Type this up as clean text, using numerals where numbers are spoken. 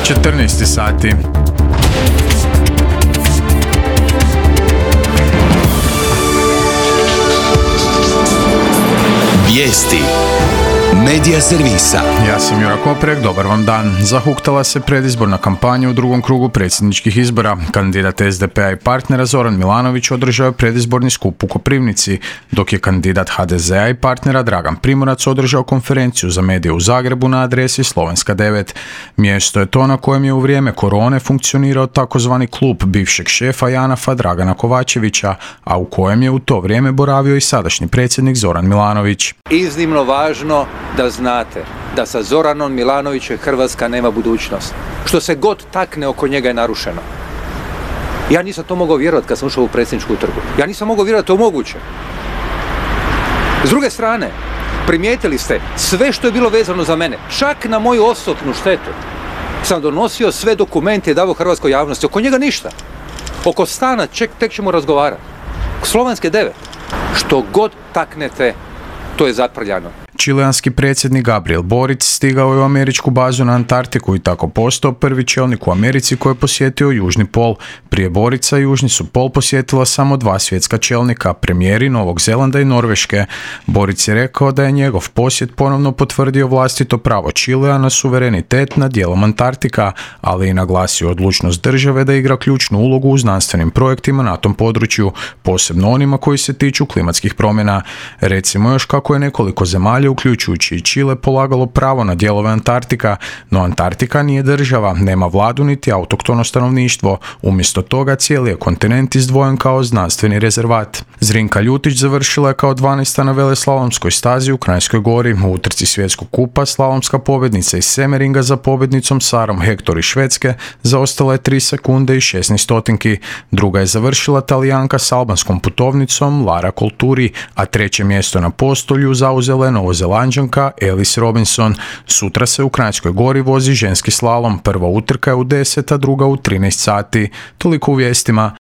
14 sati. Vijesti Medija servisa. Ja sam Jura Koprek, dobar vam dan. Zahuktala se predizborna kampanja u drugom krugu predsjedničkih izbora. Kandidat SDP-a i partnera Zoran Milanović održao je predizborni skup u Koprivnici, dok je kandidat HDZ-a i partnera Dragan Primorac održao konferenciju za medije u Zagrebu na adresi Slovenska 9. Mjesto je to na kojem je u vrijeme korone funkcionirao takozvani klub bivšeg šefa JANAF-a Dragana Kovačevića, a u kojem je u to vrijeme boravio i sadašnji predsjednik Zoran Milanović. Iznimno važno da znate da sa Zoranom Milanovićem Hrvatska nema budućnost. Što se god takne oko njega je narušeno. Ja nisam to mogao vjerovati kad sam ušao u predsjedničku trgu. Ja nisam mogao vjerovati da je to moguće. S druge strane, primijetili ste sve što je bilo vezano za mene, čak na moju osobnu štetu. Sam donosio sve dokumente i davao hrvatskoj javnosti. Oko njega ništa. Oko stana tek ćemo razgovarati. Slovenske 9. Što god taknete, to je zaprljano. Čileanski predsjednik Gabriel Boric stigao je u američku bazu na Antarktiku i tako postao prvi čelnik u Americi koji je posjetio Južni pol. Prije Borica Južni su pol posjetila samo 2 svjetska čelnika, premijeri Novog Zelanda i Norveške. Boric je rekao da je njegov posjet ponovno potvrdio vlastito pravo Čilea na suverenitet nad dijelom Antarktika, ali i naglasio odlučnost države da igra ključnu ulogu u znanstvenim projektima na tom području, posebno onima koji se tiču klimatskih promjena. Recimo još kako je nekoliko zemalja uključujući i Čile polagalo pravo na dijelove Antarktika, no Antarktika nije država, nema vladu niti autoktono stanovništvo. Umjesto toga cijeli je kontinent izdvojen kao znanstveni rezervat. Zrinka Ljutić završila je kao 12. na veleslalomskoj stazi u Kranjskoj Gori. U utrci svjetskog kupa slalomska pobjednica iz Semeringa za pobjednicom Sarom Hector iz Švedske zaostala je 3 sekunde i 16 stotinki. Druga je završila Talijanka s albanskom putovnicom Lara Colturi, a treće mjesto na postolju zauzela je Novozelanđanka Ellis Robinson. Sutra se u Kranjskoj Gori vozi ženski slalom. Prva utrka je u 10, a druga u 13 sati. Toliko u vijestima.